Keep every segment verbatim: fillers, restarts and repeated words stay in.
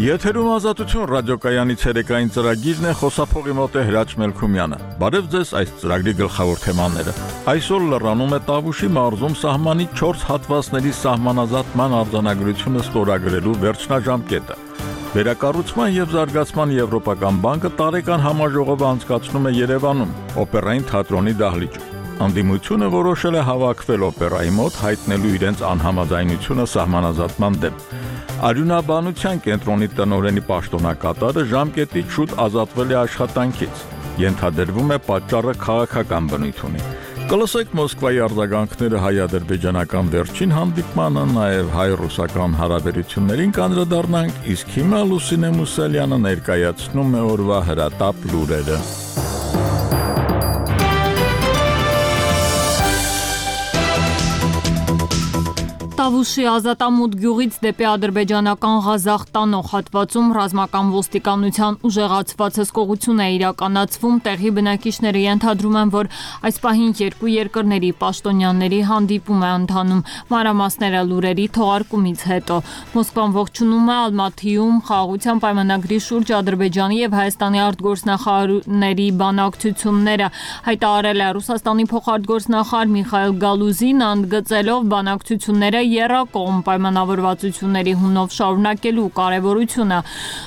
Եթերում ազատություն ռադիոկայանի ցերեկային ծրագիրն է, խոսափողի մոտ է Հրաչ Մելքումյանը։ Բարև ձեզ այս ծրագրի գլխավոր թեմաները։ Այսօր լրանում է Տավուշի մարզում սահմանի չորս հատվածների սահմանազատման արձանագրությունը ստորագրելու վերջնաժամկետը։ Վերակառուցման եւ զարգացման Եվրոպական բանկը տարեկան համաժողով անցկացնում է Երևանում, օպերային թատրոնի դահլիճում։ Անդիմությունը որոշել է հավաքվել օպերայի մոտ, հայտնելու իրենց անհամաձայնությունը սահմանազատման դեմ։ Արյունաբանության կենտրոնի տնօրենի պաշտոնակատարը ժամկետից շուտ ազատվել է աշխատանքից։ Ենթադրվում է պատճառը քաղաքական բնույթ ունի։ Կլսեք Մոսկվայի արձագանքները հայ-ադրբեջանական վերջին հանդիպմանը, նաև հայ-ռուսական հարաբերություններին կանդրադառնանք, իսկ հիմա Լուսինե Մուսալյանը ներկայացնում է օրվա հրատապ լուրերը։ Տավուշի ազատամուտ գյուղից դեպի ադրբեջանական Ղազախ տանող հատվածում ռազմական ոստիկանության ուժեղացված հսկողություն է իրականացվում։ Տեղի բնակիչները ենթադրում են, որ այս պահին երկու երկրների պաշտոնյաների հանդիպում է ընթանում։ Մանրամասները լուրերի թողարկումից հետո։ Մոսկվան ողջունում է Ալմաթիում խաղաղության պայմանագրի շուրջ Ադրբեջանի եւ Հայաստանի արտգործնախարարների բանակցությունները, հայտարարել է Ռուսաստանի փոխարտգործնախարար Միխայիլ Գալուզին, ընդգծելով բանակցությունները եռակողմ պայմանավորվածությունների հունով շարունակելու կարևորությունը։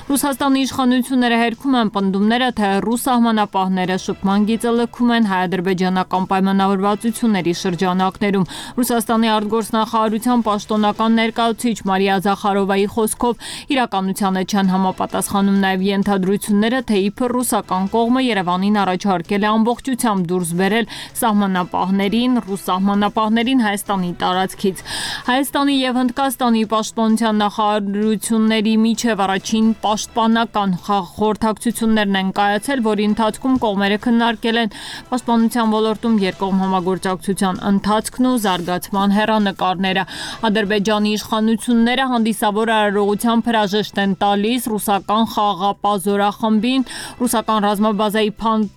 Ռուսաստանի իշխանությունները հերքում են պնդումները, թե ռուս սահմանապահները շփման գիծը լքում են հայ-ադրբեջանական պայմանավորվածությունների շրջանակներում։ Ռուսաստանի արտգործնախարարության պաշտոնական ներկայացուցիչ Մարիա Զախարովայի խոսքով իրականությանը չեն համապատասխանում նաև ենթադրությունները, թե իբր ռուսական կողմը Երևանին առաջարկել է ամբողջությամբ դուրս բերել սահմանապահներին, ռուս սահմանապահներին Հայաստանի տարածքից։ Հայաստանի եւ Հնդկաստանի պաշտպանության նախարարությունների միջև առաջին պաշտպանական խորհրդակցություններն են կայացել, որի ընթացքում կողմերը քննարկել են պաշտպանության ոլորտում երկկողմ համագործակցության ընթացքն ու զարգացման հեռանկարները։ Ադրբեջանի իշխանությունները հանդիսավոր արարողությամբ հրաժեշտ են տալիս ռուսական խաղաղապահ զորախմբին, ռուսական ռազմաբազայի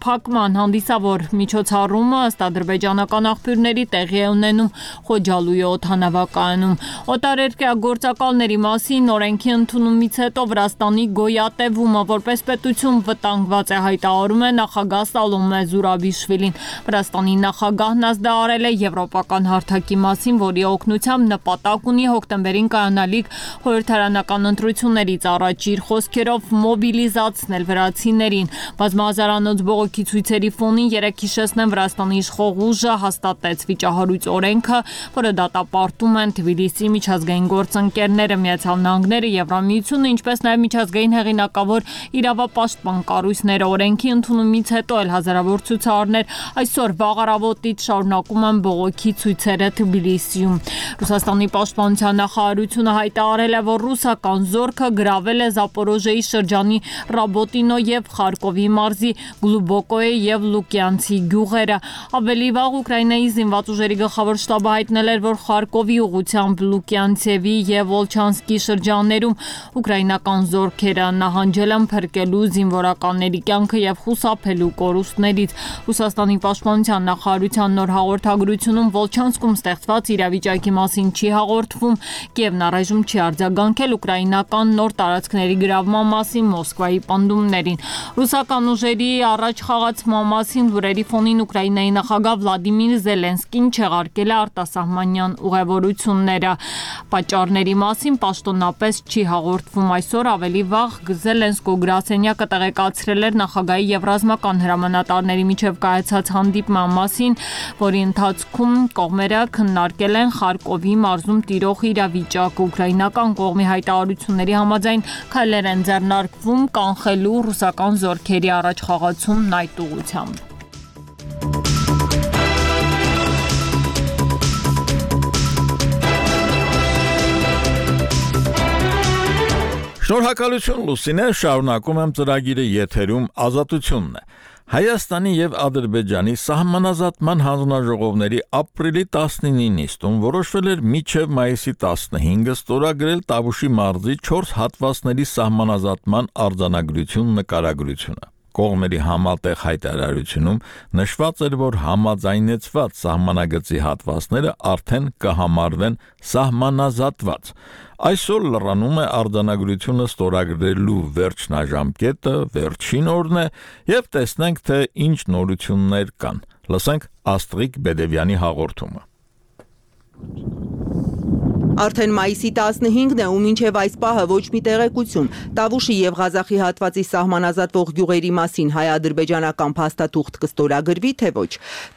փակման հանդիսավոր միջոցառումը ըստ ադրբեջանական աղբյուրների տեղի է ունենում Խոջալույի օդանավակայանում։ Օտարերկրյա գործակալների մասին օրենքի ընդունումից հետո Վրաստանի գոյատևումը որպես պետություն վտանգված է, հայտարարում է նախագահ Սալոմե Զուրաբիշվիլին։ Վրաստանի նախագահն ազդարարել է եվրոպական հարթակի մասին, որի օգնությամբ նպատակ ունի հոկտեմբերին կայանալիք խորհրդարանական ընտրություններից առաջ իր խոսքերով մոբիլիզացնել վրացիներին։ Բազմահազարանոց բողոքի ցույցերի ֆոնին երեկ հիշեցնեն Վրաստանի իշխող ուժը հաստատեց վիճահարույց օրենքը, որը դատապարտում են Թբիլիսի միջազգային գործընկերները, Միացյալ Նահանգները, Եվրամիությունը, ինչպես նաև միջազգային հեղինակավոր իրավապաշտպան կառույցները։ Օրենքի ընդունումից հետո էլ հազարավոր ցուցարարներ այսօր վաղ առավոտից շարունակում են բողոքի ցույցերը Թբիլիսիում։ Ռուսաստանի պաշտպանության նախարարությունը հայտարարել է, որ ռուսական զորքը գրավել է Զապորոժեի շրջանի Ռաբոտինո եւ Խարկովի մարզի Գլուբոկոյե եւ Լուկյանցի գյուղերը։ Ավելի վաղ Ուկրաինայի զինված ուժերի գլխավոր շտաբը հայտնել էր, որ Խարկովի ուղղությամբ Լուկյանցևի եւ Վոլչանսկի շրջաններում ուկրաինական զորքերը նահանջել են փրկելու զինվորականների կյանքը եւ խուսափելու կորուստներից։ Ռուսաստանի պաշտպանության նախարարության նոր հաղորդագրությունում Վոլչանսկում ստեղծված իրավիճակի մասին չի հաղորդվում, Կիևն առայժմ չի արձագանքել ուկրաինական նոր տարածքների գրավման մասին Մոսկվայի պնդումներին։ Ռուսական ուժերի առաջ խաղացման մասին լուրերի ֆոնին Ուկրաինայի նախագահ Վլադիմիր Զելենսկին չեղարկել է արտասահմանյան ուղևորությունները։ Պատճառների մասին պաշտոնապես չի հաղորդվում։ Այսօր ավելի վաղ Զելենսկու գրասենյակը տեղեկացրել էր նախագահի եւ ռազմական հրամանատարների միջև կայացած հանդիպման մասին, որի ընթացքում կողմերը քննարկել են Խարկովի մարզում տիրող իրավիճակը։ Ուկրաինական կողմի հայտարարությունների համաձայն քայլեր են ձեռնարկվում կանխելու ռուսական զորքերի առաջխաղացումն այդ ուղղությամբ։ Շնորհակալություն Լուսինե, շարունակում եմ ծրագիրը եթերում ազատությունն է։ Հայաստանի եւ Ադրբեջանի սահմանազատման հանձնաժողովների ապրիլի տասնինի նիստում որոշվել էր մինչև մայիսի տասնհինգը ստորագրել Տավուշի մարզի չորս հատվածների սահմանազատման արձանագրություն նկարագրությունը։ կողմերի համատեղ հայտարարությունում նշված էր, որ համաձայնեցված սահմանագծի հատվածները արդեն կհամարվեն սահմանազատված։ Այսօր լրանում է արձանագրությունը ստորագրելու վերջնաժամկետը, վերջին օրն է, եւ տեսնենք, թե ինչ նորություններ կան։ Լսենք Աստղիկ Բեդևյանի հաղորդումը։ Արդեն մայիսի տասնհինգն է ու մինչև այս պահը ոչ մի տեղեկություն Տավուշի եւ Ղազախի հատվածի սահմանազատվող գյուղերի մասին հայ-ադրբեջանական փաստաթուղթ կստորագրվի, թե ոչ։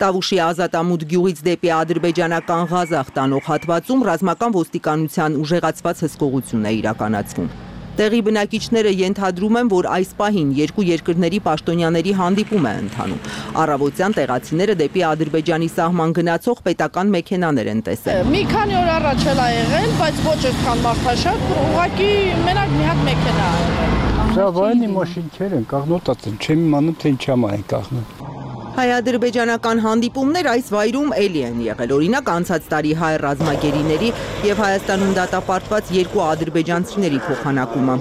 Տավուշի ազատամուտ գյուղից դեպի ադրբեջանական Ղազախ տանող հատվածում ռազմական ոստիկանության ուժեղացված հսկողություն է իրականացվում։ Տեղի բնակիչները ենթադրում են, որ այս պահին երկու երկրների պաշտոնյաների հանդիպում է ընթանում։ Առավոտյան տեղացիները դեպի Ադրբեջանի սահման գնացող պետական մեքենաներ են տեսել։ Մի քանի օր առաջ էլ ա եղել, բայց ոչ այդքան մարդաշատ, ուղղակի մենակ մի հատ մեքենա ա եղել։ Զավայնի մաշինքեր են կաղնոտած են, չեմ իմանում, թե ինչա մա են կաղնում։ Հայ-ադրբեջանական հանդիպումներ այս վայրում էլի են եղել, օրինակ անցած տարի հայ ռազմագերիների եւ Հայաստանում դատապարտված երկու ադրբեջանցիների փոխանակումը։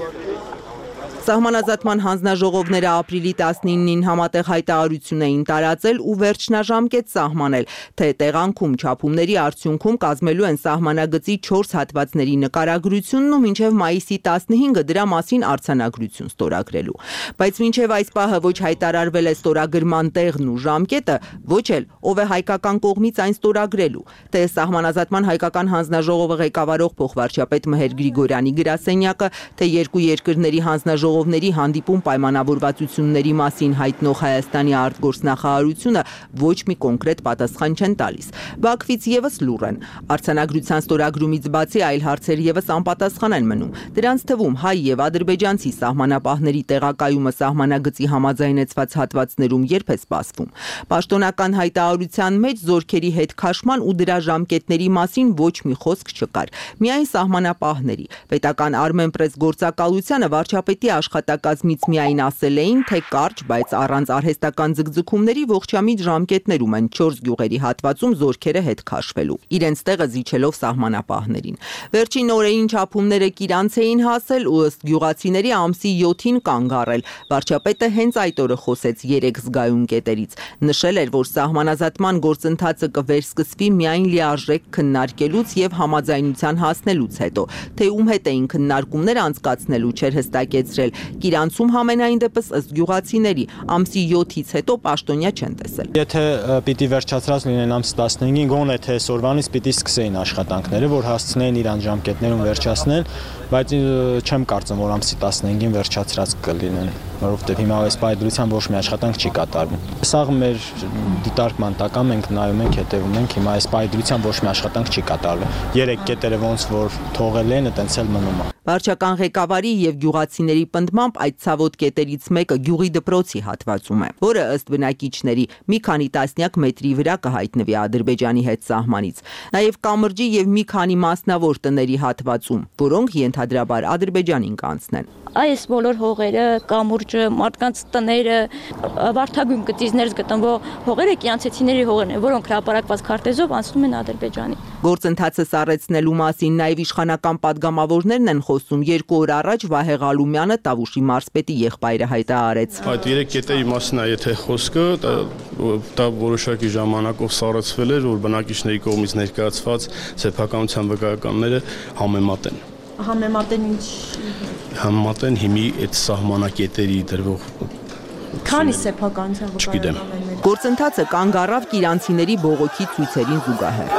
Սահմանազատման հանձնաժողովները ապրիլի տասնինին համատեղ հայտարարություն էին տարածել ու վերջնաժամկետ սահմանել, թե տեղանքում չափումների արդյունքում կազմելու են սահմանագծի չորս հատվածների նկարագրությունն ու մինչև մայիսի տասնհինգը դրա մասին արձանագրություն ստորագրելու։ Բայց մինչև այս պահը ոչ հայտարարվել է ստորագրման տեղն ու ժամկետը, ոչ էլ ով է հայկական կողմից այն ստորագրելու, թե սահմանազատման հայկական հանձնաժողովը ղեկավարող փոխվարչապետ Մհեր Գրիգորյանի գրասենյակը, թե երկու երկրների հանձնաժողովը Ժողովների հանդիպում պայմանավորվածությունների մասին հայտնող Հայաստանի արտգործնախարարությունը ոչ մի կոնկրետ պատասխան չեն տալիս։ Բաքվից եւս լուռ են։ Արձանագրության ստորագրումից բացի այլ հարցեր եւս անպատասխան են մնում։ Դրանց թվում հայ եւ ադրբեջանցի սահմանապահների տեղակայումը սահմանագծի համաձայնեցված հատվածներում երբ է սպասվում։ Պաշտոնական հայտարարության մեջ զորքերի հետ քաշման ու դրա ժամկետների մասին ոչ մի խոսք չկար։ Միայն սահմանապահների պետական Armenpress գործակալությանը վարչապետի աշխատակազմից միայն ասել էին, թե կարճ, բայց առանց արհեստական ձգձգումների ողջամիտ ժամկետներում են չորս գյուղերի հատվածում զորքերը հետ քաշվելու, իրենց տեղը զիջելով սահմանապահներին։ Վերջին օրերին չափումները Կիրանց էին հասել ու ըստ գյուղացիների ամսի յոթին կանգ առել։ Վարչապետը հենց այդ օրը խոսեց երեք զգայուն կետերից։ Նշել էր, որ սահմանազատման գործընթացը կվերսկսվի միայն լիարժեք քննարկելուց եւ համաձայնության հասնելուց հետո, թե ում հետ էին քննարկումներ անցկացնելու չէր հստակեցրել։ Կիրանցում համենայն դեպս ըստ գյուղացիների ամսի յոթից հետո պաշտոնյա չեն տեսել։ Եթե պիտի վերջացած լինեն ամսի տասնհինգին, գոնե թե այսօրվանից պիտի սկսեին աշխատանքները, որ հասցնեին իրան ժամկետներում վերջացնել, բայց չեմ կարծում, որ ամսի տասնհինգին վերջացած կլինեն, որովհետև հիմա այս պայծրության ոչ մի աշխատանք չի կատարվում։ Սա մեր դիտարկման տակ է, մենք նայում ենք, հետևում ենք, հիմա այս պայծրության ոչ մի աշխատանք չի կատարվում։ Երեք կետերը ոնց որ թողել են, այտենց էլ մնում է։ Վարչական ղեկավարի եւ գյուղացիների պնդմամբ այդ ցավոտ կետերից մեկը գյուղի դպրոցի հատվածում է, որը ըստ բնակիչների մի քանի տասնյակ մետրի վրա կհայտնվի Ադրբեջանի հետ սահմանից։ Նաեւ կամրջի եւ մի քանի մասնավոր տների հատվածում, որոնք ենթադրաբար Ադրբեջանին կանցնեն։ Այս բոլոր հողերը, կամուրջը, մարդկանց տները, վարդագույն գծիզներ գտնվող հողերը կյանցեցիների հողերն են, որոնք հրապարակված քարտեզով անցնում են Ադրբեջանի։ Գործընթացը սառեցնելու մասին նաեւ իշխանական падգամավորներն են խոսում։ Երկու օր առաջ Վահե Ղալումյանը Տավուշի մարզպետի եղբայրը հայտարարեց։ Այդ երեք կետերի մասին է եթե խոսքը, դա որոշակի ժամանակով սառեցվել էր, որ բնակիչների կողմից ներկայացված սեփականության վկայականները համեմատ են։ Համեմատեն ինչ։ Համեմատեն հիմի այդ սահմանակետերի դրվող Քանի սեփականության վկայականներ։ Գործընթացը կանգ առավ կիրանցիների բողոքի ցույցերին զուգահեռ։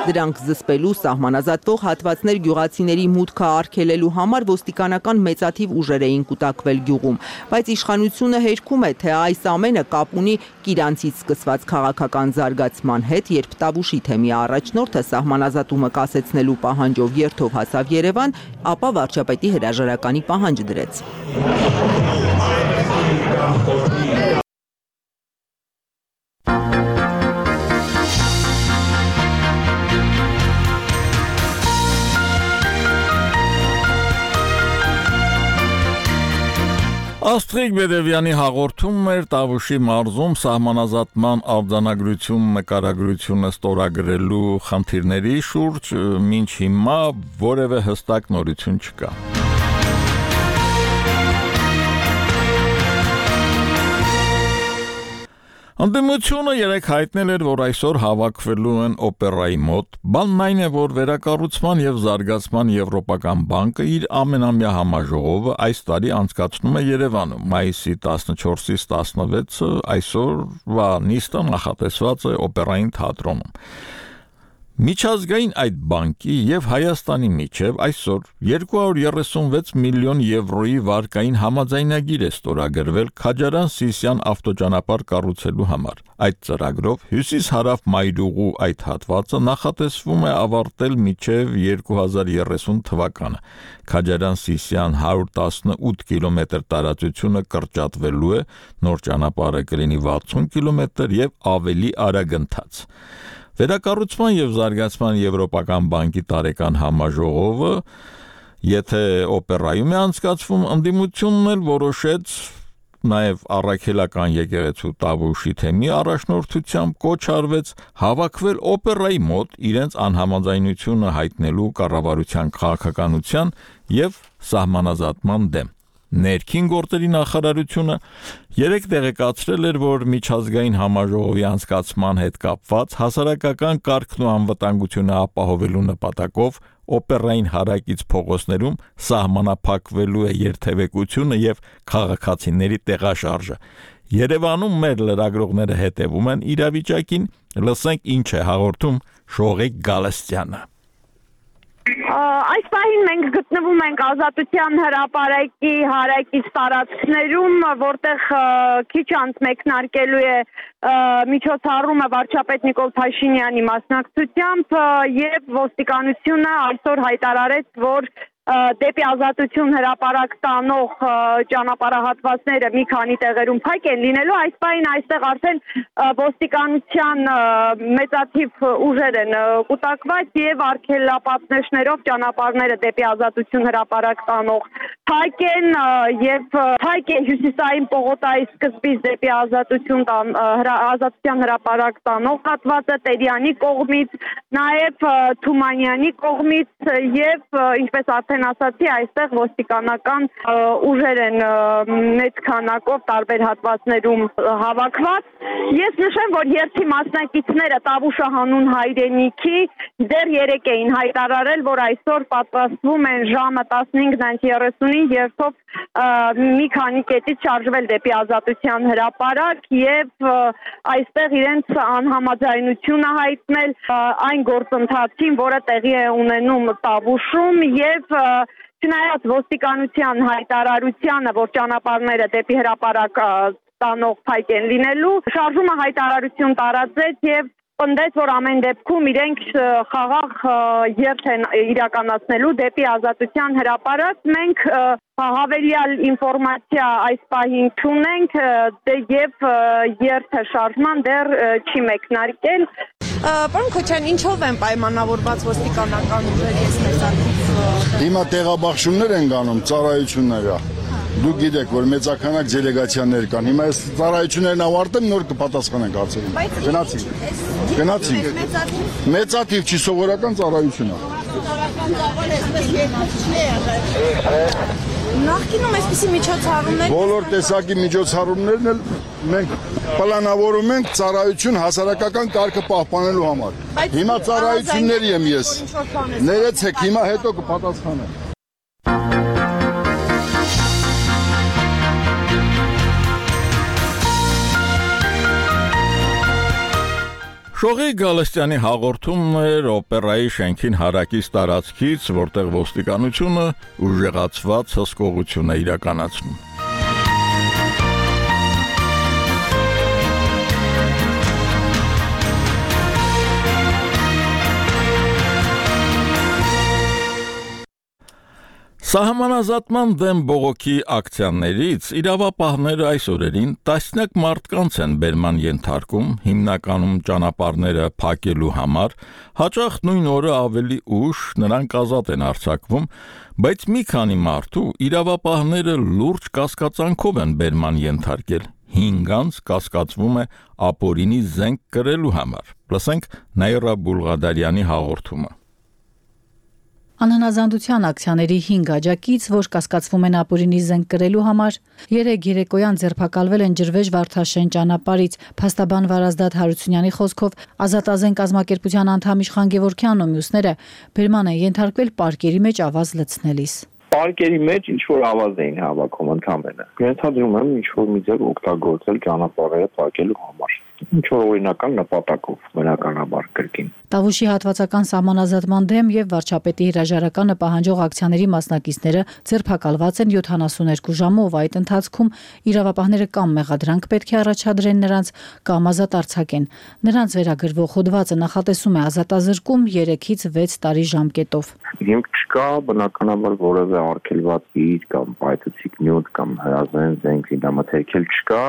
Դրանք զսպելու սահմանազատվող հատվածներ գյուղացիների մուտքը արգելելու համար ոստիկանական մեծաթիվ ուժեր էին կուտակվել գյուղում, բայց իշխանությունը հերքում է, թե այս ամենը կապ ունի Կիրանցից սկսված քաղաքական զարգացման հետ, երբ Տավուշի թեմի առաջնորդը սահմանազատումը կասեցնելու պահանջով երթով հասավ Երևան, ապա վարչապետի հրաժարականի պահանջ դրեց։ Աստղիկ Բեդևյանի հաղորդում էր Տավուշի մարզում սահմանազատման արձանագրություն նկարագրությունը ստորագրելու խնդիրների շուրջ, մինչ հիմա որևէ հստակ նորություն չկա։ Ընդդիմությունը երեք հայտնել էր, որ այսօր հավաքվելու են օպերայի մոտ, բանն այն է, որ Վերակառուցման եւ Զարգացման Եվրոպական բանկը իր ամենամյա համաժողովը այս տարի անցկացնում է Երևանում, մայիսի տասնչորսից տասնվեցը այսօրվա նիստը նախատեսված է օպերային թատրոնում։ Միջազգային այդ բանկի եւ Հայաստանի միջև այսօր երկու հարյուր երեսունվեց միլիոն եվրոյի վարկային համաձայնագիր է ստորագրվել Քաջարան-Սիսիան ավտոճանապարհ կառուցելու համար։ Այդ ծրագրով հյուսիս-հարավ մայրուղու այդ հատվածը նախատեսվում է ավարտել մինչև երկու հազար երեսուն թվականը։ Քաջարան-Սիսիան հարյուր տասնութ կիլոմետր տարածությունը կրճատվելու է, նոր ճանապարհը կլինի վաթսուն կիլոմետր եւ ավելի արագընթաց։ Վերակառուցման եւ Զարգացման Եվրոպական բանկի տարեկան համաժողովը, եթե օպերայում է անցկացվում, ընդդիմությունն էլ որոշեց նաև առաքելական եկեղեցու Տավուշի թեմի առաջնորդությամբ կոչ արվեց հավաքվել օպերայի մոտ իրենց անհամաձայնությունը հայտնելու կառավարության քաղաքականության եւ սահմանազատման դեմ։ Ներքին գործերի նախարարությունը երեք տեղեկացրել էր, որ միջազգային համաժողովի անցկացման հետ կապված հասարակական կարգն ու անվտանգությունը ապահովելու նպատակով օպերային հարակից փողոցներում սահմանափակվելու է երթևեկությունը եւ քաղաքացիների տեղաշարժը։ Երևանում մեր լրագրողները հետևում են իրավիճակին, լսենք ինչ է հաղորդում Շողիկ Գալստյանը։ Այս պահին մենք գտնվում ենք Ազատության հրապարակի հարակից տարածքներում, որտեղ քիչ անց մեկնարկելու է միջոցառումը վարչապետ Նիկոլ Փաշինյանի մասնակցությամբ եւ ոստիկանությունը այսօր հայտարարեց, որ դեպի Ազատություն հրապարակ տանող ճանապարհահատվածները մի քանի տեղերում փակ են լինելու, այս պահին այստեղ արդեն ոստիկանության մեծաթիվ ուժեր են կուտակված եւ արգելապատնեշներով ճանապարհները դեպի Ազատություն հրապարակ տանող փակ են եւ փակ է հյուսիսային պողոտայի սկզբից դեպի Ազատություն Ազատության հրապարակ տանող հատվածը Տերյանի կողմից, նաեւ Թումանյանի կողմից եւ ինչպես արդեն ասացի, այստեղ ոստիկանական ուժեր են մեծ քանակով տարբեր հատվածներում հավաքված։ Ես նշեմ, որ երթի մասնակիցները Տավուշը հանուն հայրենիքի դեռ երեկ էին հայտարարել, որ այսօր պատրաստվում են ժամը տասնհինգ երեսունին երթով մի քանի կետից շարժվել դեպի Ազատության հրապարակ եւ այստեղ իրենց անհամաձայնությունը հայտնել այն գործընթացին, որը տեղի է ունենում Տավուշում եւ չնայած ոստիկանության հայտարարությանը, որ ճանապարհները դեպի հրապարակ տանող փայք են լինելու, շարժումը հայտարարություն տարածեց եւ պնդեց, որ ամեն դեպքում իրենք խաղաղ երթ են իրականացնելու դեպի Ազատության հրապարակ։ Մենք հավելյալ ինֆորմացիա այս պահին չունենք եւ երթը շարժման դեռ չի մեկնարկել։ Պարոն Քոչյան, ինչով են պայմանավորված ոստիկանական ուժերը, ես տեսակիցը։ Հիմա տեղաբաշխումներ են գանում, ծառայությունները։ Դուք գիտեք, որ մեծականակ դելեգացիաներ կան։ Հիմա այս ծառայություններն ավարտեն, նոր կպատասխանենք հարցերին։ Գնացինք։ Գնացինք։ Մեծաթիվ չի սովորական ծառայություն է։ Նախկինում այսպիսի միջոցառումներ բոլոր տեսակի միջոցառումներն էլ մենք պլանավորում ենք ծառայություն հասարակական կարգը պահպանելու համար։ Հիմա ծառայությունների եմ ես։ Ներեցեք, հիմա հետո կպատասխանեմ։ Շողիկ Գալստյանի հաղորդումն էր օպերայի շենքին հարակից տարածքից, որտեղ ոստիկանությունը ուժեղացված հսկողություն է իրականացնում։ Սահմանազատման դեմ բողոքի ակցիաներից իրավապահները այս օրերին տասնյակ մարդկանց են բերման ենթարկում, հիմնականում ճանապարհները փակելու համար, հաճախ նույն օրը ավելի ուշ նրանք ազատ են արձակվում, բայց մի քանի մարդու իրավապահները լուրջ կասկածանքով են բերման ենթարկել, հինգ անց կասկածվում է ապօրինի զենք կրելու համար։ Լսենք Նաիրա Բուլղադարյանի հաղորդումը։ Անհնազանդության ակցիաների հինգ աջակից, որ կասկածվում են ապօրինի զենք կրելու համար, երեկ երեկոյան ձերբակալվել են Ջրվեժ Վարդաշեն ճանապարհից։ Փաստաբան Վարազդատ Հարությունյանի խոսքով Ազատազեն կազմակերպության անդամ Իշխան Գևորգյանն ու մյուսները բերման են ենթարկվել պարկերի մեջ ավազ լցնելիս։ Պարկերի մեջ ինչ որ ավազ էին հավաքում ընդհանրապես։ Ենթադրում եմ ինչ որ մի ձև օգտագործել ճանապարհը փակելու համար։ Ինչ որ օրինական նպատակով բնականաբար կրկին։ Տավուշի հատվածական սահմանազատման դեմ եւ վարչապետի հրաժարականը պահանջող ակցիաների մասնակիցները ձերբակալված են յոթանասուներկու ժամով, այդ ընթացքում իրավապահները կամ մեղադրանք պետք է առաջադրեն նրանց, կամ ազատ արձակեն։ Նրանց վերագրվող հոդվածը նախատեսում է ազատազրկում երեքից վեց տարի ժամկետով։ Հիմք չկա բնականաբար որևէ արգելված իր կամ պայթուցիկ նյութ կամ հրազեն զենք դամաթերքել չկա,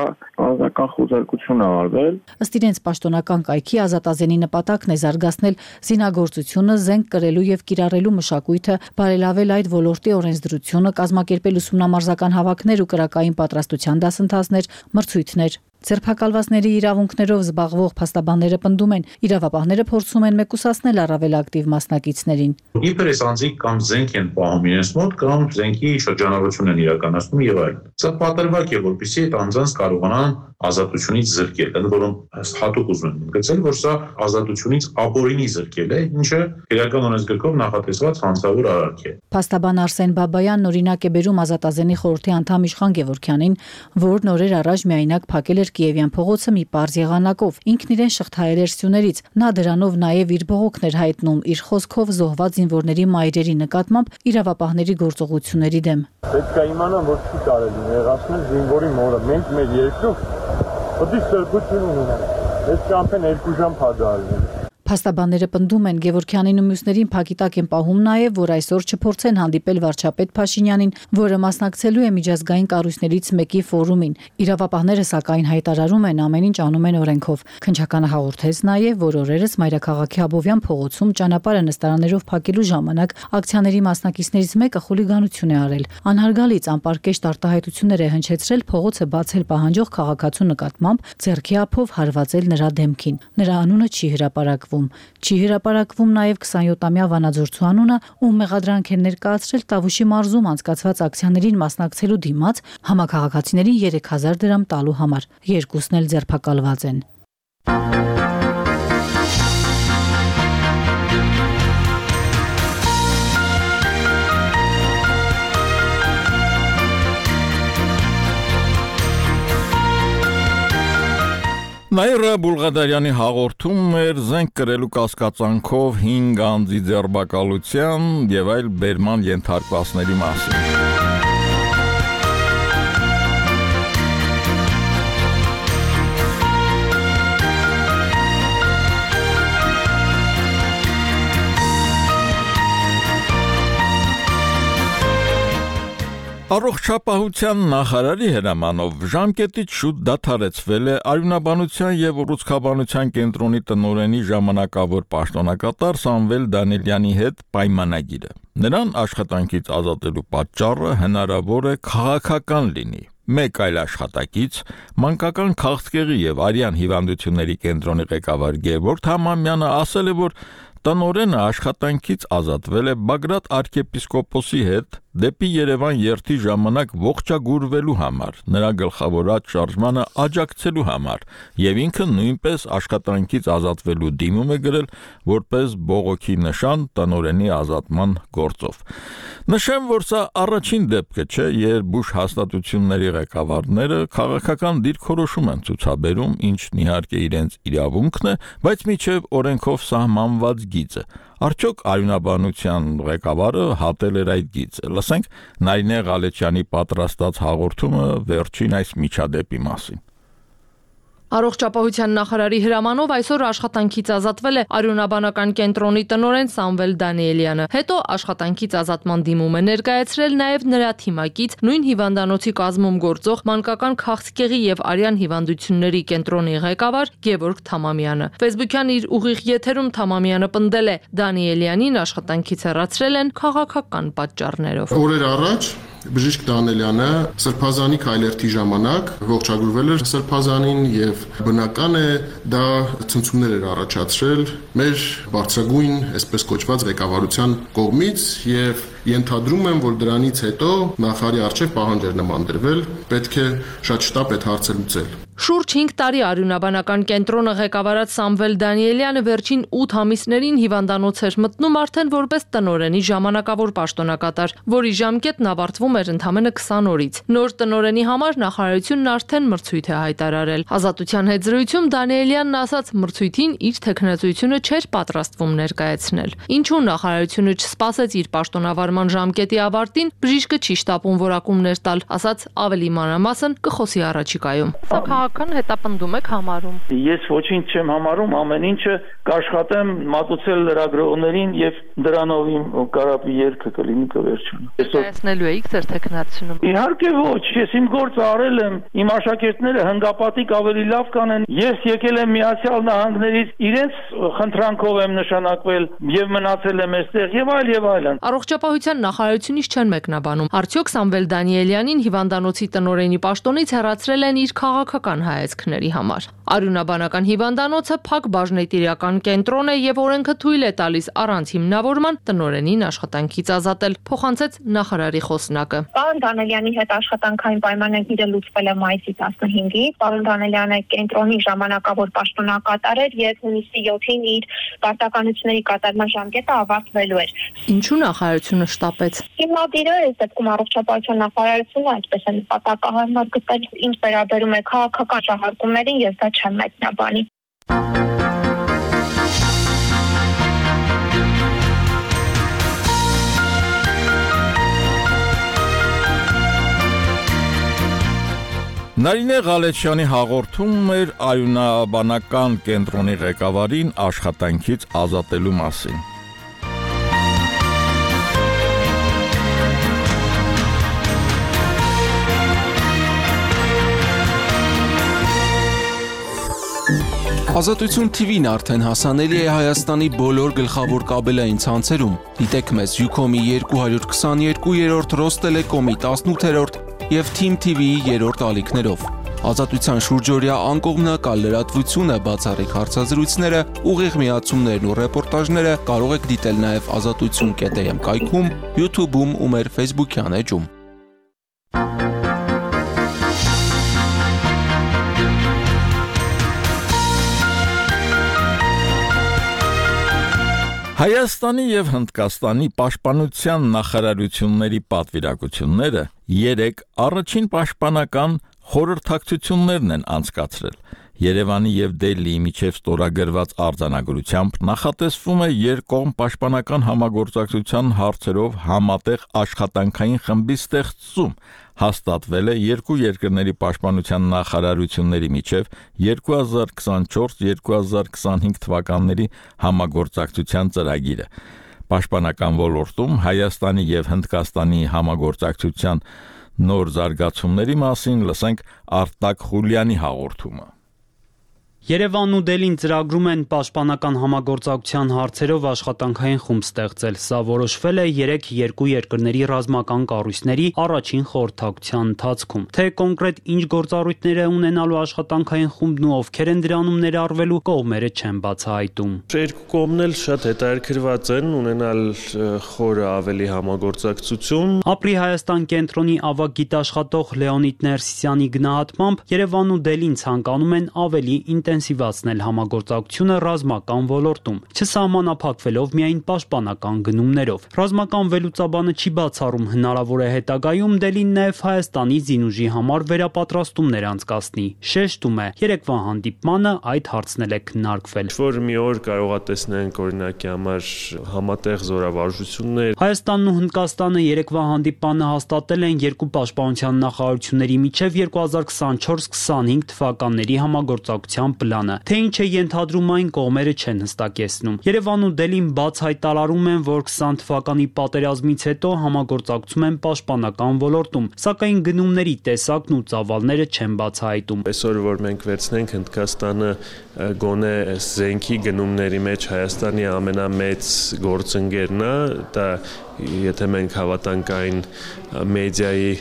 ազատական խոզարկություն ա արվել։ Ըստ իրենց պաշտոնական կայքի Ազատազենի նպատակն է զարգացնել զինագործությունը, զենք կրելու եւ կիրառելու մշակույթը, բարելավել այդ ոլորտի օրենսդրությունը, կազմակերպել ուսումնամարզական հավաքներ ու կրակային պատրաստության դասընթացներ, մրցույթներ։ Ձերբակալվածների իրավունքներով զբաղվող փաստաբանները պնդում են, իրավապահները փորձում են մեկուսացնել առավել ակտիվ մասնակիցներին։ Իբր այս անձիկ կամ զենք են պահում իրենց մոտ, կամ զենքի շրջանառություն են իրականացնում եւ այլն։ Սա պատրվակ է, որպեսզի այդ անձանց կարողանան ազատությունից զրկել, ընդ որում հատուկ ուզում եմ գծել, որ սա ազատությունից ապօրինի զրկել է, ինչը իրական օրենսգրքով նախատեսված հանցավոր արարք է։ Փաստաբան Արսեն Բաբայանն օրինակ է բերում Ազատազենի խորհրդի անդամ Իշխան Գևորգյանին, որն օրեր առաջ միայնակ փակել էր Կիևյան փողոցը մի պարզ եղանակով։ Ինքն իրեն շղթայել էր սյուներից։ Նա դրանով նաև իր բողոքն էր հայտնում իր խոսքով զոհված զինվորների մայրերի նկատմամբ իրավապահների գործողությունների դեմ։ Պետք է իմանան, որ չի կարելի նեղացնել զինվորի մորը։ Մենք մեր երկրում պետք է սրբություն ունենանք։ Այս ճամփեն երկու ժամ փակալն։ Փաստաբանները պնդում են Գևորգյանին ու մյուսներին փակիտակ են պահում նաև, որ այսօր չփորձեն հանդիպել վարչապետ Փաշինյանին, որը մասնակցելու է միջազգային կառույցներից մեկի ֆորումին։ Իրավապահները սակայն հայտարարում են ամեն ինչ անում են օրենքով։ Քննչականը հաղորդեց նաև, որ օրերս Մայրաքաղաքի Աբովյան փողոցում ճանապարհը նստարաններով փակելու ժամանակ ակցիաների մասնակիցներից մեկը խուլիգանություն է արել։ Անհարգալից անպարկեշտ արտահայտություններ է հնչեցրել փողոցը բացել պահանջող քաղաքացու նկատմամբ, ձեռքի ափով հարվածել նրա դեմքին։ Նրա անունը չի հրապարակվում։ Չի հրապարակվում նաև քսանյոթամյա վանաձորցու անունը, ում մեղադրանք են ներկայացրել Տավուշի մարզում անցկացված ակցիաներին մասնակցելու դիմաց համաքաղաքացիներին երեք հազար դրամ տալու համար։ Երկուսն էլ ձերբակալված են։ Նաիրա Բուլղադարյանի հաղորդում էր զենք կրելու կասկածանքով հինգ անձի ձերբակալության եւ այլ բերման ենթարկվածների մասին։ Առողջապահության նախարարի հրամանով ժամկետից շուտ դադարեցվել է Արյունաբանության եւ ուռուցքաբանության կենտրոնի տնօրենի ժամանակավոր պաշտոնակատար Սամվել Դանիելյանի հետ պայմանագիրը։ Նրան աշխատանքից ազատելու պատճառը հնարավոր է քաղաքական լինի։ Մեկ այլ աշխատակից մանկական քաղցկեղի եւ արյան հիվանդությունների կենտրոնի ղեկավար Գևորգ Համամյանը ասել է, որ տնօրենը աշխատանքից ազատվել է Բագրատ arczepiskopos-ի հետ դեպի Երևան երթի ժամանակ ողջագուրվելու համար, նրա գլխավորած շարժմանը աջակցելու համար, եւ ինքը նույնպես աշխատանքից ազատվելու դիմում է գրել որպես բողոքի նշան տնօրենի ազատման գործով։ Նշեմ, որ սա առաջին դեպքը չէ, երբ բուժ հաստատությունների ղեկավարները քաղաքական դիրքորոշում են ցուցաբերում, ինչն իհարկե իրենց իրավունքն է, բայց միջև օրենքով սահմանված գիծը։ Արդյոք Արյունաբանության ղեկավարը հատել էր այդ գիծը։ Լսենք Նարինե Ղալեչյանի պատրաստած հաղորդումը վերջին այս միջադեպի մասին։ Առողջապահության նախարարի հրամանով այսօր աշխատանքից ազատվել է Արյունաբանական կենտրոնի տնօրեն Սամվել Դանիելյանը։ Հետո աշխատանքից ազատման դիմում է ներկայացրել նաև նրա թիմակից նույն հիվանդանոցի կազմում գործող մանկական քաղցկեղի եւ արյան հիվանդությունների կենտրոնի ղեկավար Գևորգ Թամամյանը։ Facebook-յան իր ուղիղ եթերում Թամամյանը պնդել է Դանիելյանին աշխատանքից հեռացրել են քաղաքական պատճառներով։ Օրեր առաջ Բժիշկ Դանելյանը Սրբազանի քայլերթի ժամանակ ողջագրվել էր Սրբազանին եւ բնական է դա ցնցումներ էր առաջացրել մեր բարձրագույն, այսպես կոչված ղեկավարության կողմից եւ ենթադրում եմ, որ դրանից հետո նախարարի արչեւ պահանջ էր նման դրվել, պետք է շատ շտապ այդ հարցը լուծել։ Շուրջ հինգ տարի արյունաբանական կենտրոնը ղեկավարած Սամվել Դանիելյանը վերջին ութ ամիսներին հիվանդանոց էր մտնում արդեն որպես տնօրենի ժամանակավոր պաշտոնակատար, որի ժամկետն ավարտվում էր ընդամենը քսան օրից։ Նոր տնօրենի համար նախարարությունն արդեն մրցույթ է հայտարարել։ Ազատության հետ զրույցում Դանիելյանն ասաց, մրցույթին իր թեկնածությունը չէր պատրաստվում ներկայացնել։ Ինչու նախարարությունը չսպասեց իր պաշտոնավարման ժամկետի ավարտին, բժիշկը չի շտապում որակումներ տալ, ասաց ավելի մանրամասն կխոսի առաջիկայում։ Քաղաքական հետապնդում եք համարում։ Ես ոչինչ չեմ համարում, ամեն ինչը կաշխատեմ մատուցել լրագրողներին եւ դրանով իմ կարապի երգը կլինի կվերջանա։ Ներկայացնելու եք ձեր թեկնածությունում։ Իհարկե ոչ, ես իմ գործը արել եմ, իմ աշակերտները հնգապատիկ ավելի լավ կանեն։ Ես եկել եմ Միացյալ Նահանգներից, իրենց խնդրանքով եմ նշանակվել եւ մնացել եմ այստեղ եւ այլ եւ այլն։ Առողջապահության նախարարությունից չեն մեկնաբանում։ Արդյոք Սամվել Դանիելյանին հիվանդանոցի տնօրենի պաշտոնից հեռացրել են իր քաղաքական հայացքների համար։ Արյունաբանական հիվանդանոցը փակ բաժնետիրական կենտրոն է եւ օրենքը թույլ է տալիս առանց հիմնավորման տնօրենին աշխատանքից ազատել, փոխանցեց նախարարի խոսնակը։ Պարոն Դանելյանի հետ աշխատանքային պայմանագիրը լուծվել է մայիսի տասնհինգին։ Պարոն Դանելյանը կենտրոնի ժամանակավոր պաշտոնակատար էր եւ հունիսի յոթին իր պարտականությունների կատարման ժամկետը ավարտվելու էր։ Ինչու նախարարությունը շտապեց։ Հիմնադիրը այս դեպքում առողջապահության նախարարությունը այդպես է նպատակահարմար գտել, ինչ վերաբերում է քաղաքական շահարկումներին, ես դա չեմ մեկնաբանի։ Նարինե Ղալեչյանի հաղորդումն էր արյունաբանական կենտրոնի ղեկավարին աշխատանքից ազատելու մասին։ Ազատություն թիվին արդեն հասանելի է Հայաստանի բոլոր գլխավոր կաբելային ցանցերում։ Դիտեք մեզ Ucom-ի երկու հարյուր քսաներկու երրորդ, Ռոստելեկոմի տասնութերորդ եւ Թիմ թի վիի երրորդ ալիքներով։ Ազատության շուրջօրյա անկողմնակալ լրատվությունը, բացառիկ հարցազրույցները, ուղիղ միացումներն ու ռեպորտաժները կարող եք դիտել նաեւ ազատություն կետ էմ կայքում, YouTube-ում ու մեր Facebook-յան էջում։ Հայաստանի եւ Հնդկաստանի պաշտպանության նախարարությունների պատվիրակությունները երեք առաջին պաշտպանական խորհրդակցություններն են անցկացրել։ Երևանի եւ Դելիի միջև ստորագրված արձանագրությամբ նախատեսվում է երկկողմ պաշտպանական համագործակցության հարցերով համատեղ աշխատանքային խմբի ստեղծում։ Հաստատվել է երկու երկրների պաշտպանության նախարարությունների միջև երկու հազար քսանչորս երկու հազար քսանհինգ թվականների համագործակցության ծրագիրը։ Պաշտպանական ոլորտում Հայաստանի եւ Հնդկաստանի համագործակցության նոր զարգացումների մասին լսենք Արտակ Խուլյանի հաղորդումը։ Երևանն ու Դելին ծրագրում են պաշտպանական համագործակցության հարցերով աշխատանքային խումբ ստեղծել։ Սա որոշվել է երեք երկու երկրների ռազմական կառույցների առաջին խորհրդակցության ընթացքում։ Թե կոնկրետ ինչ գործառույթներ է ունենալու աշխատանքային խումբն ու ովքեր են դրանում ներառվելու, կողմերը չեն բացահայտում։ Երկու կողմն էլ շատ հետաքրքրված են ունենալ խորը ավելի համագործակցություն։ Ապրի Հայաստան կենտրոնի ավագ գիտաշխատող Լեոնիդ Ներսիսյանի գնահատմամբ Երևանն ու Դելին ցանկանում են ավելի ինտենսիվացնել համագործակցությունը ռազմական ոլորտում, չսահմանափակվելով միայն պաշտպանական գնումներով։ Ռազմական վերլուծաբանը չի բացառում հնարավոր է հետագայում Դելին նաև Հայաստանի զինուժի համար վերապատրաստումներ անցկացնի։ Շեշտում է, երեկվա հանդիպմանը այդ հարցն էլ է քննարկվել։ Որ մի օր կարողա տեսնենք օրինակի համար համատեղ զորավարժություններ։ Հայաստանն ու Հնդկաստանը երեկվա հանդիպմանը հաստատել են երկու պաշտպանության նախարարությունների միջև երկու հազար քսանչորս քսանհինգ թվականների համագործակցության պլանը։ Թե ինչ է ենթադրում այն, կողմերը չեն հստակեցնում։ Երևան ու Դելին բաց հայտարարում են, որ քսան թվականի պատերազմից հետո համագործակցում են պաշտպանական ոլորտում, սակայն գնումների տեսակն ու ծավալները չեն բացահայտում։ Այսօր որ մենք վերցնենք Հնդկաստանը գոնե զենքի գնումների մեջ Հայաստանի ամենամեծ գործընկերն է, դա եթե մենք հավատանք այն մեդիայի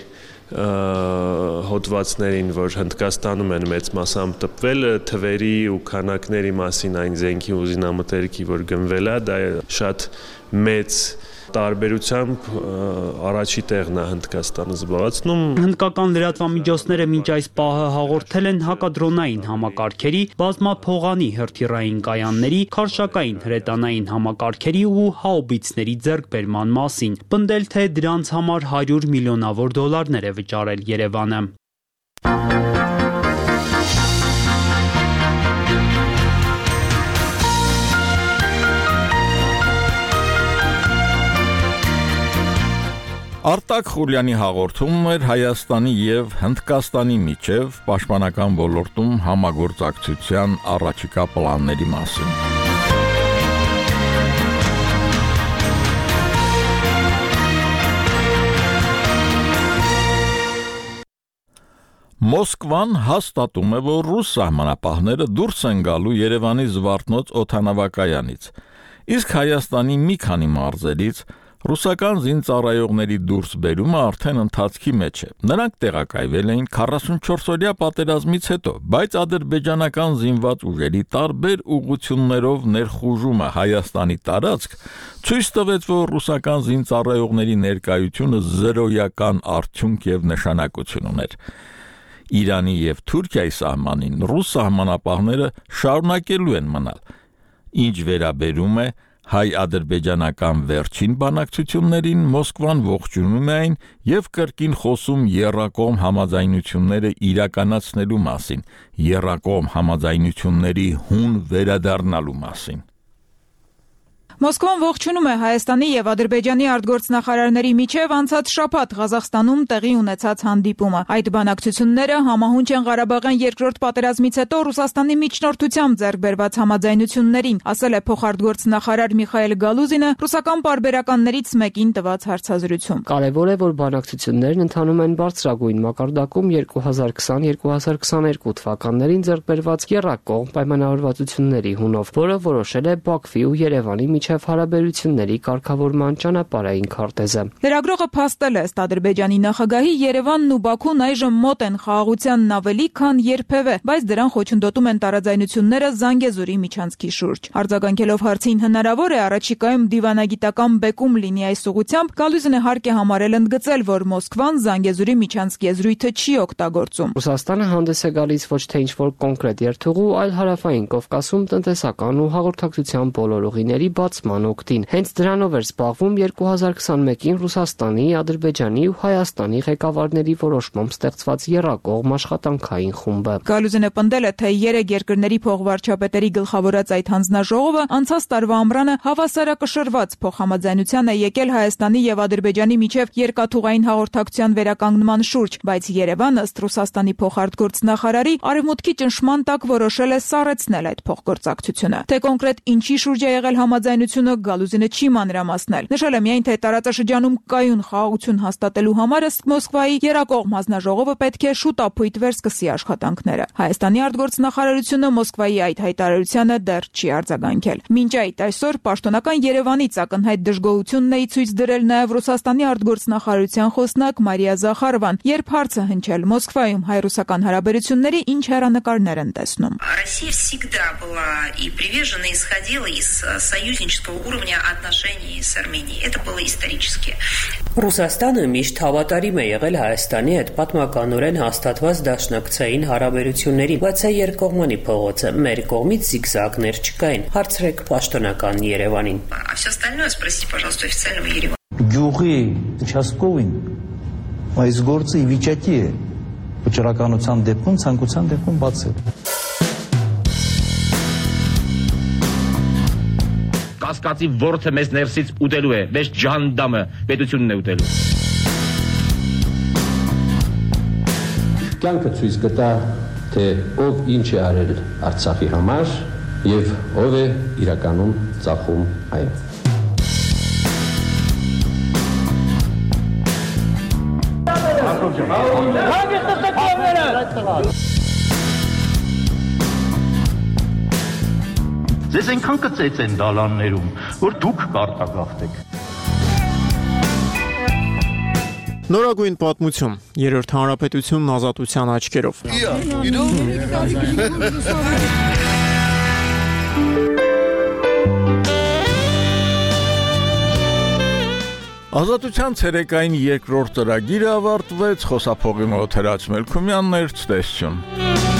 հոդվածներին, որ Հնդկաստանում են մեծ մասամբ տպվել, թվերի ու քանակների մասին այն զենքի ու զինամթերքի, որ գնվել է, դա շատ մեծ տարբերությամբ առաջի տեղն է Հնդկաստանը զբաղեցնում։ Հնդկական լրատվամիջոցները մինչ այս պահը հաղորդել են հակադրոնային համակարգերի, բազմափողանի հրթիռային կայանների, քարշակային հրետանային համակարգերի ու հաուբիցների ձեռքբերման մասին, պնդել թե դրանց համար հարյուր միլիոնավոր դոլարներ է վճարել Երևանը։ Արտակ Խուլյանի հաղորդումն էր Հայաստանի եւ Հնդկաստանի միջև պաշտպանական ոլորտում համագործակցության առաջիկա պլանների մասին։ Մոսկվան հաստատում է, որ ռուս սահմանապահները դուրս են գալու Երևանի Զվարթնոց օդանավակայանից, իսկ Հայաստանի մի քանի մարզերից ռուսական զինծառայողների դուրս բերումը արդեն ընթացքի մեջ է։ Նրանք տեղակայվել էին քառասունչորսօրյա պատերազմից հետո, բայց ադրբեջանական զինված ուժերի տարբեր ուղղություններով ներխուժումը Հայաստանի տարածք ցույց տվեց, որ ռուսական զինծառայողների ներկայությունը զրոյական արդյունք եւ նշանակություն ուներ։ Իրանի եւ Թուրքիայի սահմանին ռուս սահմանապահները շարունակելու են մնալ, ինչ վերաբերում է հայ-ադրբեջանական վերջին բանակցություններին, Մոսկվան ողջունում է այն եւ կրկին խոսում եռակողմ համաձայնությունները իրականացնելու մասին, եռակողմ համաձայնությունների հուն վերադառնալու մասին։ Մոսկվան ողջունում է Հայաստանի եւ Ադրբեջանի արտգործնախարարների միջև անցած շաբաթ Ղազախստանում տեղի ունեցած հանդիպումը։ Այդ բանակցությունները համահունչ են Ղարաբաղյան երկրորդ պատերազմից հետո Ռուսաստանի միջնորդությամբ ձեռք բերված համաձայնություններին, ասել է փոխարտգործնախարար Միխայել Գալուզինը ռուսական պարբերականներից մեկին տված հարցազրույցում։ Կարևոր է, որ բանակցություններն ընթանում են բարձրագույն մակարդակում երկու հազար քսան երկու հազար քսաներկու թվականներին ձեռք բերված եռակողմ պայմանավորվածությունների հունով, որը որոշել է Բաքվի ու Երևանի միջև հարաբերությունների կարգավորման ճանապարհային քարտեզը։ Լրագրողը փաստել է, ըստ Ադրբեջանի նախագահի, Երևանն ու Բաքուն այժմ մոտ են խաղաղությանն ավելի, քան երբևէ, բայց դրան խոչընդոտում են տարաձայնությունները Զանգեզուրի միջանցքի շուրջ։ Արձագանքելով հարցին հնարավոր է առաջիկայում դիվանագիտական բեկում լինի այս ուղղությամբ, Գալուզինը հարկ է համարել ընդգծել, որ Մոսկվան Զանգեզուրի միջանցքի եզրույթը չի օգտագործում։ Ռուսաստանը հանդես է գալիս ոչ թե ինչ-որ կոնկրետ երթուղու, այլ հարավային Կովկասում տնտեսական ու հաղորդակցության բոլոր ուղիների բացման օգտին։ Հենց դրանով էր զբաղվում երկու հազար քսանմեկին Ռուսաստանի, Ադրբեջանի ու Հայաստանի ղեկավարների որոշմամբ ստեղծված եռակողմ աշխատանքային խումբը։ Գալուզինը պնդել է, թե երեք երկրների փոխվարչապետերի գլխավորած այդ հանձնաժողովը անցած տարվա ամռանը հավասարակշռված փոխհամաձայնության է եկել Հայաստանի եւ Ադրբեջանի միջև երկաթուղային հաղորդակցության վերականգնման շուրջ, բայց Երևանը, ըստ Ռուսաստանի փոխարտգործնախարարի, արևմուտքի ճնշման տակ որոշել է սառեցնել այդ փոխգործակցությունը։ Թե կոնկրետ ինչի շուրջ է եղել համաձայնությունը, Գալուզինը չի մանրամասնել։ Նշել է միայն, թե տարածաշրջանում կայուն խաղաղություն հաստատելու համար ըստ Մոսկվայի եռակողմ հանձնաժողովը պետք է շուտապույտ վերսկսի աշխատանքները։ Հայաստանի արտգործնախարարությունը Մոսկվայի այդ հայտարարությանը դեռ չի արձագանքել։ Մինչ այդ այսօր պաշտոնական Երևանից ակնհայտ դժգոհությունն է ցույց дրել նաև Ռուսաստանի արտգործնախարարության խոսնակ Մարիա Զախարովան, երբ հարցը հնչել Մոսկվայում հայ-ռուսական հարաբերությունների ինչ հեռանկարներ են տեսնում։ Россия всегда была и привержена исходила из союзнического уровня отношений с Арменией. Это было исторически. Ռուսաստանը միշտ հավատարիմ է եղել Հայաստանի հետ պատմականորեն հաստատված դաշնակցային հարաբերություններին, բայց այդ երկկողմանի փողոցը մեր կողմից զիգզագներ չկային։ Հարցրեք պաշտոնական Երևանին։ А все остальное спросите, пожалуйста, официального Еревана. Գյուղի участковին այս գործը ի վիճակի է վճռականության դեպքում, ցանկության դեպքում բացել։ Կասկածի ворթը մեզ ներսից ուտելու է, մեզ ջանդամը պետությունն է ուտելու։ Կյանքը ցույց կտա, թե ով ինչ է արել Արցախի համար եւ ով է իրականում ծախում այն։ Ձեզ այնքան կծեց են դալաններում, որ դուք կարտագաղթեք։ Նորագույն պատմություն, երրորդ հանրապետությունն ազատության աչքերով։ Ազատության ցերեկային երկրորդ ծրագիրը ավարտվեց, խոսափողի մոտ Հրաչ Մելքումյանն էր, ցտեսություն։